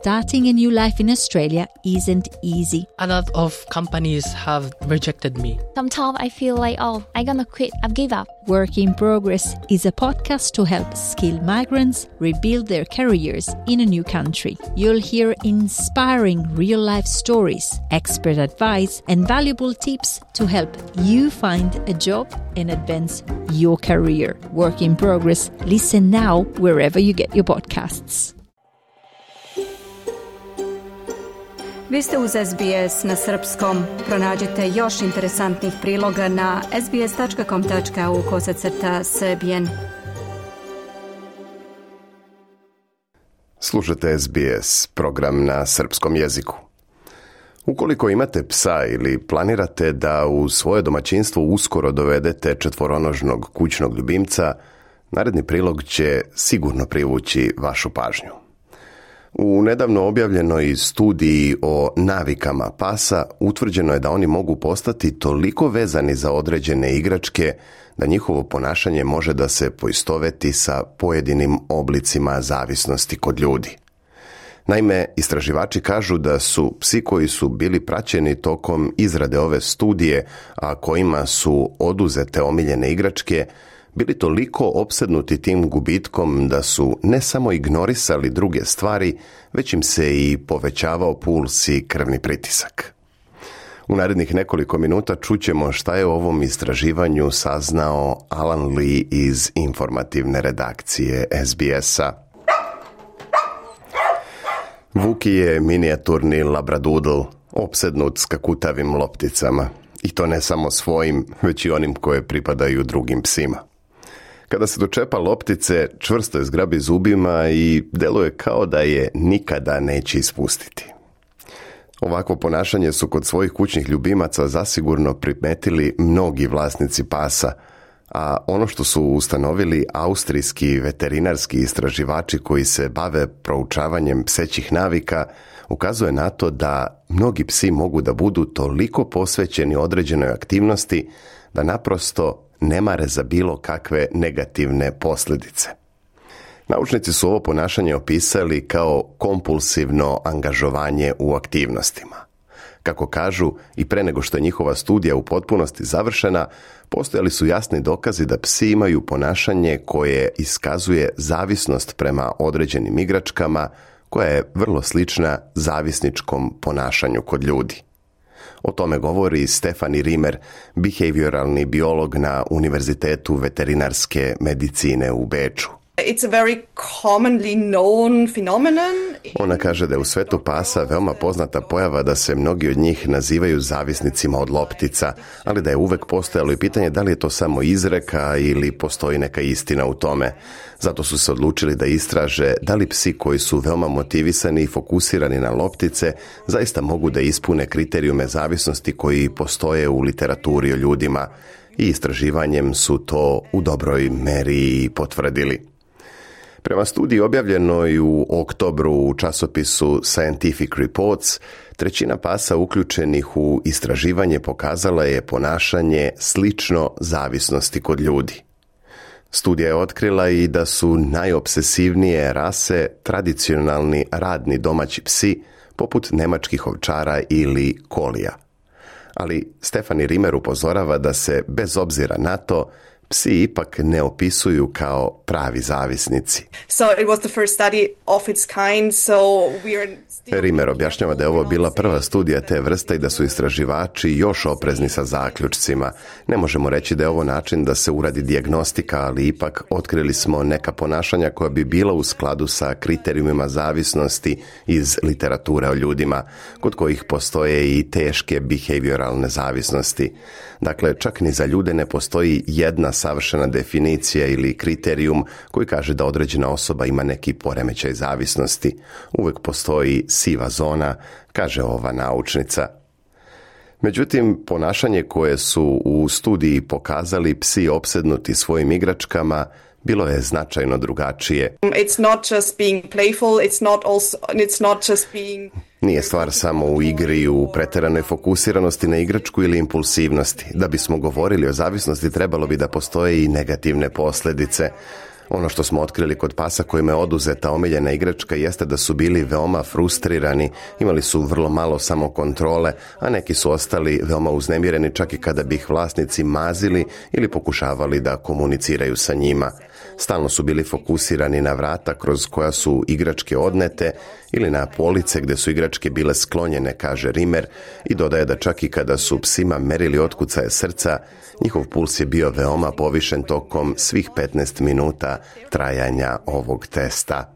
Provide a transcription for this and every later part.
starting a new life in Australia isn't easy. A lot of companies have rejected me. Sometimes I feel like, I'm gonna quit, I've give up. Work in Progress is a podcast to help skilled migrants rebuild their careers in a new country. You'll hear inspiring real-life stories, expert advice, and valuable tips to help you find a job and advance your career. Work in Progress. Listen now wherever you get your podcasts. Vi ste uz SBS na srpskom. Pronađite još interesantnih priloga na sbs.com.au/Serbian. Slušate SBS, program na srpskom jeziku. Ukoliko imate psa ili planirate da u svoje domaćinstvo uskoro dovedete četvoronožnog kućnog ljubimca, naredni prilog će sigurno privući vašu pažnju. U nedavno objavljenoj studiji o navikama pasa utvrđeno je da oni mogu postati toliko vezani za određene igračke da njihovo ponašanje može da se poistoveti sa pojedinim oblicima zavisnosti kod ljudi. Naime, istraživači kažu da su psi koji su bili praćeni tokom izrade ove studije, a kojima su oduzete omiljene igračke, bili toliko opsednuti tim gubitkom da su ne samo ignorisali druge stvari, već im se i povećavao puls i krvni pritisak. U narednih nekoliko minuta čućemo šta je o ovom istraživanju saznao Alan Lee iz informativne redakcije SBS-a. Vuki je minijaturni labradoodle, opsednut skakutavim lopticama. I to ne samo svojim, već i onim koje pripadaju drugim psima. Kada se dočepa loptice, čvrsto je zgrabi zubima i deluje kao da je nikada neće ispustiti. Ovakvo ponašanje su kod svojih kućnih ljubimaca zasigurno primetili mnogi vlasnici pasa, a ono što su ustanovili austrijski veterinarski istraživači koji se bave proučavanjem psećih navika ukazuje na to da mnogi psi mogu da budu toliko posvećeni određenoj aktivnosti da naprosto ne mare za bilo kakve negativne posljedice. Naučnici su ovo ponašanje opisali kao kompulsivno angažovanje u aktivnostima. Kako kažu, i pre nego što je njihova studija u potpunosti završena, postojali su jasni dokazi da psi imaju ponašanje koje iskazuje zavisnost prema određenim igračkama, koja je vrlo slična zavisničkom ponašanju kod ljudi. O tome govori Stefanie Rimmer, behavioralni biolog na Univerzitetu veterinarske medicine u Beču. It's a very commonly known phenomenon. Ona kaže da je u svetu pasa veoma poznata pojava da se mnogi od njih nazivaju zavisnicima od loptica, ali da je uvek postojalo i pitanje da li je to samo izreka ili postoji neka istina u tome. Zato su se odlučili da istraže da li psi koji su veoma motivisani i fokusirani na loptice zaista mogu da ispune kriterijume zavisnosti koji postoje u literaturi o ljudima. I istraživanjem su to u dobroj meri potvrdili. Prema studiji objavljenoj u oktobru u časopisu Scientific Reports, 1/3 pasa uključenih u istraživanje pokazala je ponašanje slično zavisnosti kod ljudi. Studija je otkrila i da su najopsesivnije rase tradicionalni radni domaći psi, poput nemačkih ovčara ili kolija. Ali Stefanie Rimmer upozorava da se, bez obzira na to, psi ipak ne opisuju kao pravi zavisnici. Rimmer objašnjava da je ovo bila prva studija te vrste i da su istraživači još oprezni sa zaključcima. Ne možemo reći da je ovo način da se uradi dijagnostika, ali ipak otkrili smo neka ponašanja koja bi bila u skladu sa kriterijumima zavisnosti iz literature o ljudima, kod kojih postoje i teške behavioralne zavisnosti. Dakle, čak ni za ljude ne postoji jedna savršena definicija ili kriterijum koji kaže da određena osoba ima neki poremećaj zavisnosti. Uvek postoji siva zona, kaže ova naučnica. Međutim, ponašanje koje su u studiji pokazali psi opsednuti svojim igračkama bilo je značajno drugačije. Nije stvar samo u igri i u preteranoj fokusiranosti na igračku ili impulsivnosti. Da bismo govorili o zavisnosti, trebalo bi da postoje i negativne posljedice. Ono što smo otkrili kod pasa kojima je oduzeta omiljena igračka jeste da su bili veoma frustrirani, imali su vrlo malo samokontrole, a neki su ostali veoma uznemireni čak i kada bi ih vlasnici mazili ili pokušavali da komuniciraju sa njima. Stalno su bili fokusirani na vrata kroz koja su igračke odnete ili na police gdje su igračke bile sklonjene, kaže Rimmer, i dodaje da čak i kada su psima merili otkucaje srca, njihov puls je bio veoma povišen tokom svih 15 minuta trajanja ovog testa.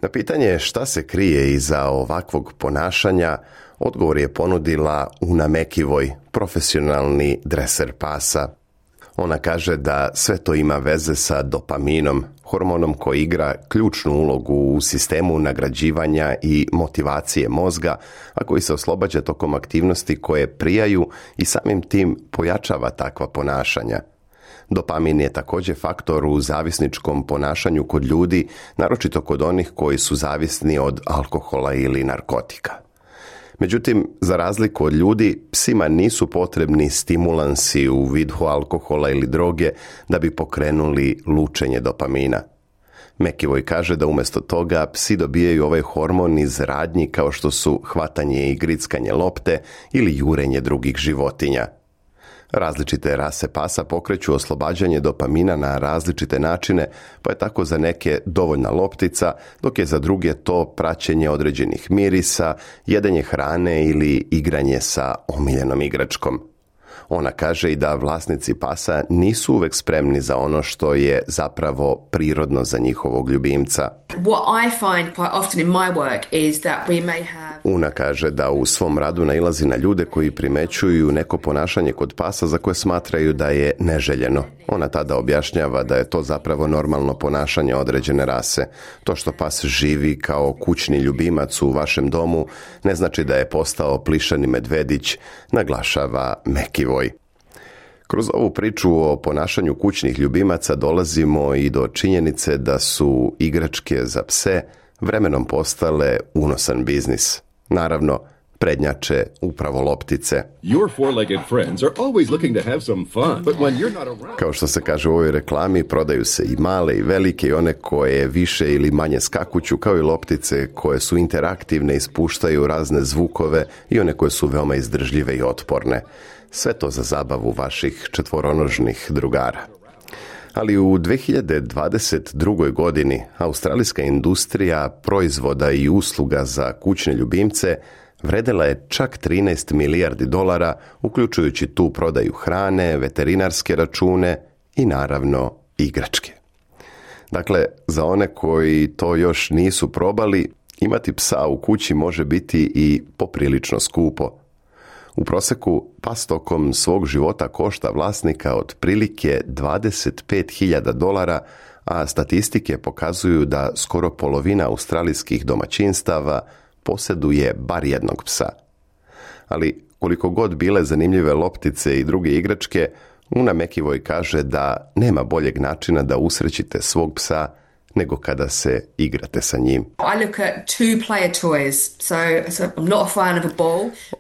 Na pitanje šta se krije iza ovakvog ponašanja, odgovor je ponudila Una Mekivoj, profesionalni dreser pasa. Ona kaže da sve to ima veze sa dopaminom, hormonom koji igra ključnu ulogu u sistemu nagrađivanja i motivacije mozga, a koji se oslobađa tokom aktivnosti koje prijaju i samim tim pojačava takva ponašanja. Dopamin je također faktor u zavisničkom ponašanju kod ljudi, naročito kod onih koji su zavisni od alkohola ili narkotika. Međutim, za razliku od ljudi, psima nisu potrebni stimulansi u vidu alkohola ili droge da bi pokrenuli lučenje dopamina. Mekivoj kaže da umjesto toga psi dobijaju ovaj hormon iz radnji kao što su hvatanje i grickanje lopte ili jurenje drugih životinja. Različite rase pasa pokreću oslobađanje dopamina na različite načine, pa je tako za neke dovoljna loptica, dok je za druge to praćenje određenih mirisa, jedenje hrane ili igranje sa omiljenom igračkom. Ona kaže i da vlasnici pasa nisu uvek spremni za ono što je zapravo prirodno za njihovog ljubimca. Una kaže da u svom radu nailazi na ljude koji primećuju neko ponašanje kod pasa za koje smatraju da je neželjeno. Ona tada objašnjava da je to zapravo normalno ponašanje određene rase. To što pas živi kao kućni ljubimac u vašem domu ne znači da je postao plišani medvedić, naglašava Mekivoj. Kroz ovu priču o ponašanju kućnih ljubimaca dolazimo i do činjenice da su igračke za pse vremenom postale unosan biznis. Naravno, prednjače upravo loptice. Kao što se kaže u ovoj reklami, prodaju se i male i velike i one koje više ili manje skakuću, kao i loptice koje su interaktivne i spuštaju razne zvukove i one koje su veoma izdržljive i otporne. Sve to za zabavu vaših četvoronožnih drugara. Ali u 2022. godini australijska industrija proizvoda i usluga za kućne ljubimce vredela je čak 13 milijardi dolara, uključujući tu prodaju hrane, veterinarske račune i naravno igračke. Dakle, za one koji to još nisu probali, imati psa u kući može biti i poprilično skupo. U prosjeku pas tokom svog života košta vlasnika otprilike $25.000, a statistike pokazuju da skoro polovina australijskih domaćinstava posjeduje bar jednog psa. Ali koliko god bile zanimljive loptice i druge igračke, Una Mekivoj kaže da nema boljeg načina da usrećite svog psa nego kada se igrate sa njim.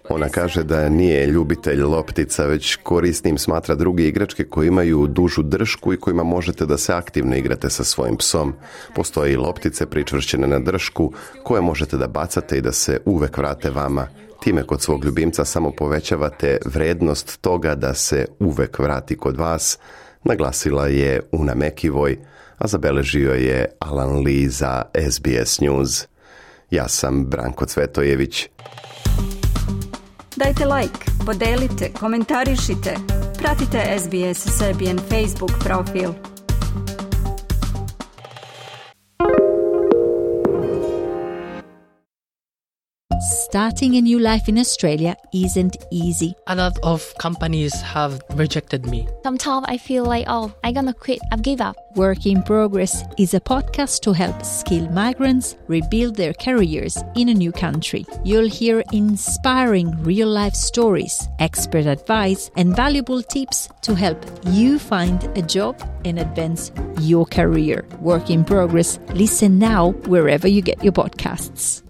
Ona kaže da nije ljubitelj loptica, već korisnim smatra druge igračke koje imaju dužu držku i kojima možete da se aktivno igrate sa svojim psom. Postoje i loptice pričvršćene na držku koje možete da bacate i da se uvek vrate vama. Time kod svog ljubimca samo povećavate vrednost toga da se uvek vrati kod vas, naglasila je Una Mekivoj, a zabeležio je Alan Lee za SBS News. Ja sam Branko Cvetojević. Dajte like, podelite, komentarišite, pratite SBS Serbian Facebook profil. Starting a new life in Australia isn't easy. A lot of companies have rejected me. Sometimes I feel like, I'm gonna quit. I've give up. Work in Progress is a podcast to help skilled migrants rebuild their careers in a new country. You'll hear inspiring real-life stories, expert advice, and valuable tips to help you find a job and advance your career. Work in Progress. Listen now wherever you get your podcasts.